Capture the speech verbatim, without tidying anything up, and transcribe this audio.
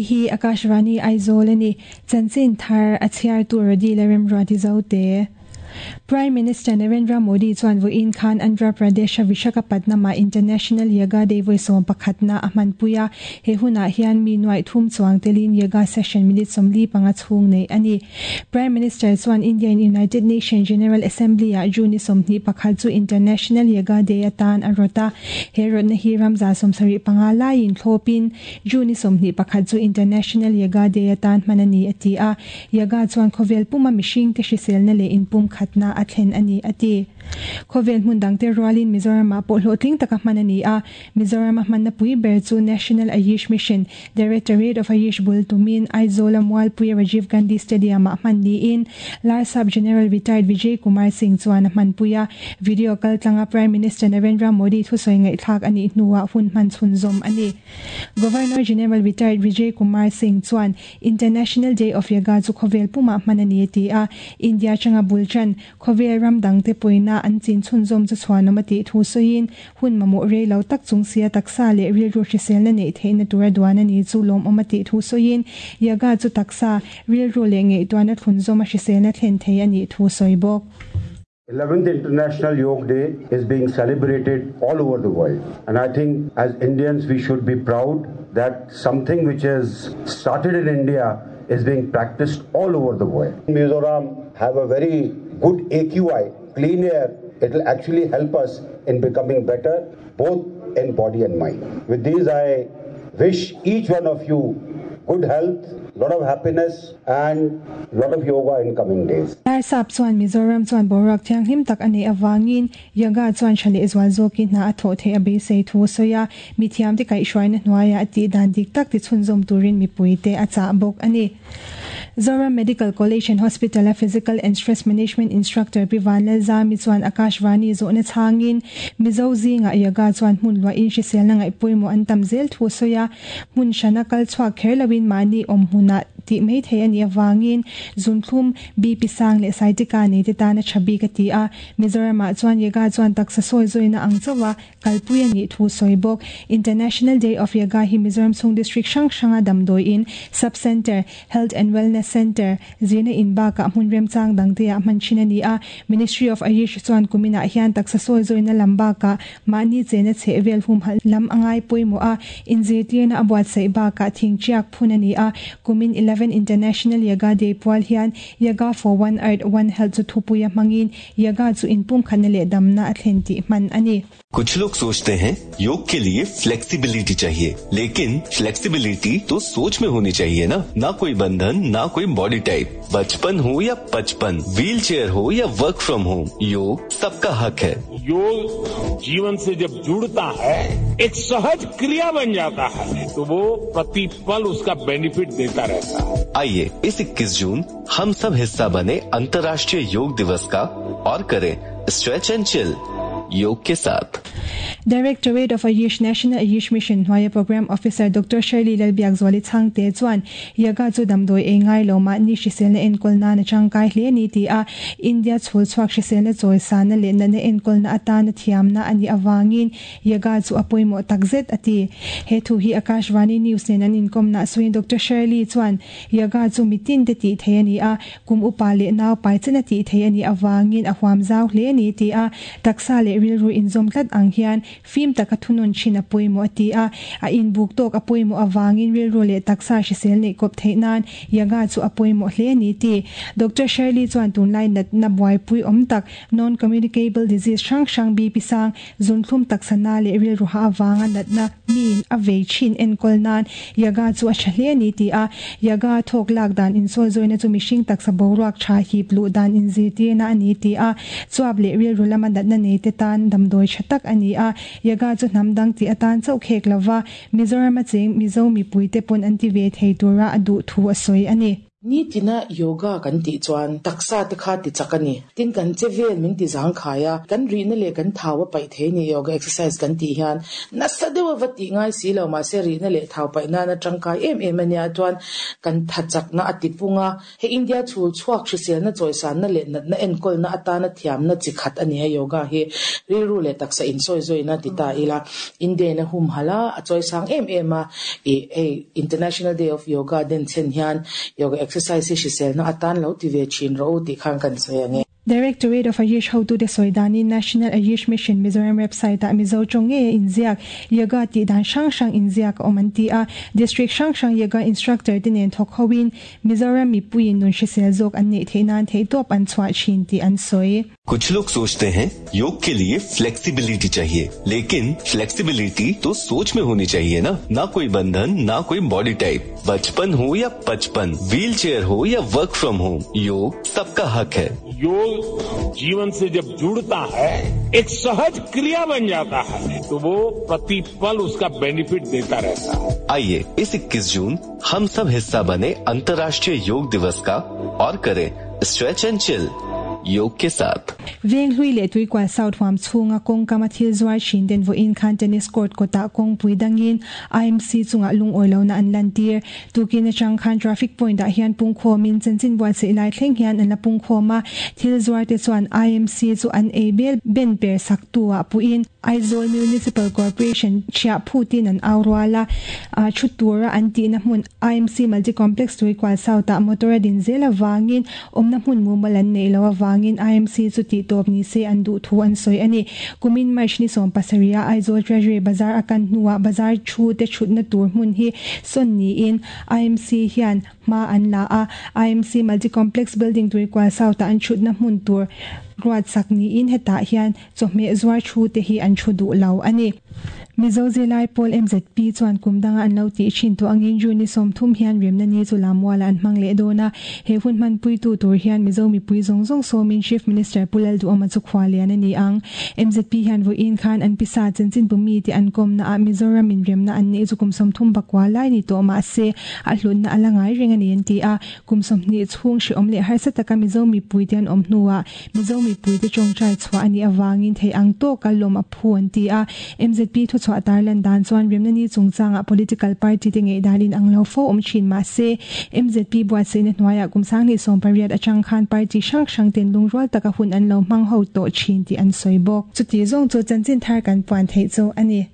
Hei hi Akashvani Aizawl a ni. Chanchin thar a chhiartu Rodi Lalremruati Zote. Prime Minister Narendra Modi chuan vawiin khan Andhra Pradesh-a Visakhapatnam-ah International Yoga Day vawi sawm pakhatna a hmanpui a. He hunah hian mi nuaih thum chuang telin yoga session minute sawmli panga chhung neih a ni. Prime Minister chuan India-in United Nations General Assembly-ah June ni sawmhnih pakhat chu International Yoga Day atan a rawt a. He rawtna hi ramza sawmsarih panga laiin thlawpin June ni sawmhnih pakhat chu International Yoga Day atan hman a ni, a ti a. Yoga chuan khawvel puma mihringte hriselna leh inpumkhatna a thlen a ni, a ti. Khawvel hmun dangte rualin Mizoramah pawh hlawhtling taka hman a ni a. Mizorama hmanna pui ber chu National Ayush Mission, Directorate of Ayush bul tumin Aizawla Mualpuia Rajiv Gandhi Stadium-ah hman niin Larsap General Retired Vijay Kumar Singh chuan a hmanpui a. Video kaltlanga Prime Minister Narendra Modi thusawi ngaihthlak a nih hnuah hun hman chhunzawm a ni. Governor General Retired Vijay Kumar Singh chuan International Day of Yoga chu khawvel pumah hman a ni a ti a. India atanga bul tan khawvel ram dangte pawina an chin chhunzawm chu chhuanawm a tih thu sawiin hun mamawh rei lo tak chung sia taksa leh rilru hriselna neih theihna tura duan a ni chu lawmawm a tih thu sawiin yoga chu taksa rilru leh ngaihtuahna thlunzawm a hriselna thlen thei a nih thu sawi bawk. eleventh International Yoga Day is being celebrated all over the world, and I think as Indians we should be proud that something which has started in India is being practiced all over the world. Mizoram have a very good A Q I, clean air. It will actually help us in becoming better, both in body and mind. With these, I wish each one of you good health, lot of happiness and lot of yoga in coming days. Larsap chuan Mizoram chuan boruak thianghlim tak a nei awangin yoga chuan tha leh zual zawkin hna a thawh theih a beisei thu sawi a. Mithiam te kaihhruaina hnuaiah a tih dan dik tak ti chhunzawm turin mipui te a chah bawk a ni. Zoram Medical College and Hospital a Physical and Stress Management Instructor Pi Vanlal Zami chuan Akashvani zawhna chhangin Mizo zinga yoga chuan hmun luahin hriselna ngaihpawimawh an tam zel thu sawi a. Hmun hrana kal chhuak kher loin mahni awm hmunah tih mai thei a nih awangin zunthlum B P sang leh saitika nei te tan a tha bik a ti a. Mizoramah chuan yoga chuan taksa sawi zawina ang chawa kalpui a nih thu sawi bawk. International Day of Yoga hi Mizoram Chung District hrang hranga damdawiin Sub Center, Health and Wellness Center, zirna in bakah hmun remchang dangte ah hman thin a ni a. Ministry of Ayush chuan kuminah hian taksa sawi zawina lam bakah mahni chena chhehvel hum hal lam angai pawimawh a. Inzirtirna a buatsaih bakah thingchiak phun a ni a. Kumin eleven International Yoga Day pual hian Yoga for One Earth One Health chu thupui a hmangin yoga chu inpumkhatna leh damna a thlen tih hman a ni. कुछ लोग सोचते हैं योग के लिए flexibility चाहिए, लेकिन फ्लेक्सिबिलिटी तो सोच में होनी चाहिए ना। ना कोई बंधन, ना कोई बॉडी टाइप, बचपन हो या पचपन, व्हील चेयर हो या work from home, योग सबका हक है। योग जीवन से जब जुड़ता है, एक सहज क्रिया बन जाता है, तो वो प्रतिपल उसका बेनिफिट देता रहता है। आइए इस इक्कीस जून हम सब हिस्सा बने अंतर्राष्ट्रीय योग दिवस का और करें stretch and chill योग के साथ। Directorate of Ayush National Ayush Mission hnuaia Program Officer Doctor Shirley Lalbiakzuali Chhangte chuan yoga chu damdawi ei ngai lo mahni hriselna enkawl na tangkai hle ni ti a. India chhul chhuak hriselna chawi sana leh natna enkawlna atana thiamna ani awangin yoga chu a pawimawh takzet a ti. He thu hi Akashvani News nen an inkawmna sawiin Doctor Shirley chuan yoga chu mitin te tih thei a ni a. Kum upa leh nau pai chen a tih thei a ni awangin a huam zau hle ni ti a. Taksa leh rilru inzawm tlat ang hian fim taka thunun thin a pawimawh a ti a. A inbuk tawk a pawimawh awangin rilru leh taksa hrisel neih kawp theih nan yoga chu a pawimawh hle ni ti. Doctor Shirley chuan tunlai natna buaipui awm tak non communicable disease hrang hrang B P sang zunthlum taksana leh rilru ha awanga natna min a vei thin enkawl nan yoga chu a tha hle ni ti a. Yoga thawk lak dan insawi zawina chu mihring taksa boruak tha hip luh dan inzirtirna a ni ti a. Chuap leh rilru lama natna nei te tan damdawi tha tak a ni a. Yoga chu hnam dang ti atan chauh khek lova Mizoram a cheng Mizo mipui te pawn an ti ve thei tura a duh thu a sawi a ni. Ni tina yoga kan ti chuan taksa te kha ti chakani tin kan chevel min ti zang khaya kan ri na le kan thawa pai the ni. Yoga exercise kan ti hian nasa dewa vati ngai si lo ma se ri na le thau pai na na tangkai em em ania. Chuan kan thachak na atipunga he India chul chuak hrisel na choisan na le na na enkol na atana thiam na chikhat ani a. Yoga hi riru le taksa in soi zoi na tita ila. India na hum hala a choisang em em a. E e International Day of Yoga den chen hian yoga exercise hrisel na atan lo ti ve chin ro ti khang kan sei ange. Directorate of Ayush hotu te soidani National Ayush Mission Mizoram website a Mizo chonge inziak yoga ti dan hrang hrang inziak omanti a. District hrang hrang yoga instructor tinen thok hoin Mizoram mi puin nun hrisel zawk an nei theinan thei top an chhuah thin ti an sawi. कुछ लोग सोचते हैं योग के लिए flexibility चाहिए, लेकिन फ्लेक्सिबिलिटी तो सोच में होनी चाहिए ना। ना कोई बंधन, ना कोई बॉडी टाइप। बचपन हो या पचपन, व्हील चेयर हो या work from home, योग सबका हक है। योग जीवन से जब जुड़ता है, एक सहज क्रिया बन जाता है, तो वो प्रतिपल उसका बेनिफिट देता रहता है। आइए, इस इक्कीस जून हम सब हिस्सा बने अंतर्राष्ट्रीय योग दिवस का और करें stretch and chill योग के साथ। Venghlui leh Tuikual South huam chhunga kawngkama thil zuar thin ten vawiin khan tennis court kawtah kawngpui dangin I M C chungah lungawi lohna an lantir. Tukin atang khan traffic point ah hian pungkhawmin chanchin buatsaih lai thleng hian an la pungkhawm a. Thil zuar te chuan I M C chu an ei bel ben per sak tu ah puin Aizawl Municipal Corporation chhia phutin an auruala a thu tura an ti na hmun I M C Multi Complex Tuikual South ah motor a din zel awangin awmna hmun mumal an nei lo awangin I M C chu ti tawp ni se an duh thu an sawi ani. Kumin March ni sawm pasarih a Aizawl Treasury Bazar akan hnuah bazar thu te thutna tur hmun hi sawn niin I M C hian hma an la a. I M C Multi Complex Building Tuikual South ah an thutna hmun tur ruat sak niin hetah hian chawhmeh zuar thu te hi an thu duh lo ani. Mizo Zilai Pawl M Z P chuan kumdanga an lo ti thin tu angin June ni sawm thum hian remna ni chu lamwala an hmang leh dawn a. He hun hman pui tu tur hian Mizo mipui zawng zawng sawmin Chief Minister Pu Lalduhoma chu khua lian ani ang. M Z P hian vawiin khan an pisa chanchin bu mi te an kawmna a Mizoram in remna an nei chu kum sawm thum pakua lai ni tawh ma se a hlutna ala ngai reng ani an ti a. Kum sawmhnih chhung hri awm leh harsa taka Mizo mipui te an awm hnuah Mizo mipui te tawngtai chhuah ani awangin thei ang tawk a lawm a phu an ti a. M Z P thu chhuah tarlan dan chuan remna ni chungchanga political party te ngei dalin ang lo fo awm thin ma se M Z P buatsaihna hnuaiah kum sanghnih sawm pariat atang khan party hrang hrang ten lungrual taka hun an lo hmang ho tawh thin tih an sawi bawk. Chuti zawng chu chanchin thar kan puan theih chu ani.